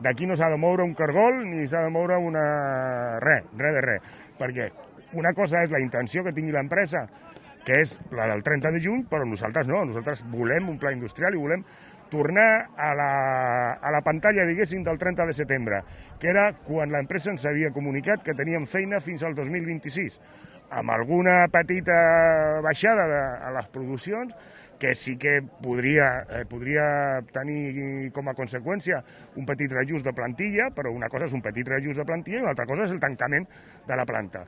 D'aquí no s'ha de moure un cargol ni s'ha de moure res de res, perquè una cosa és la intenció que tingui l'empresa, que és la del 30 de juny, però nosaltres no, nosaltres volem un pla industrial i volem tornar a la pantalla, diguéssim, del 30 de setembre, que era quan l'empresa ens havia comunicat que teníem feina fins al 2026, amb alguna petita baixada a les produccions, que sí que podria tenir com a conseqüència un petit reajust de plantilla, però una cosa és un petit reajust de plantilla i una altra cosa és el tancament de la planta.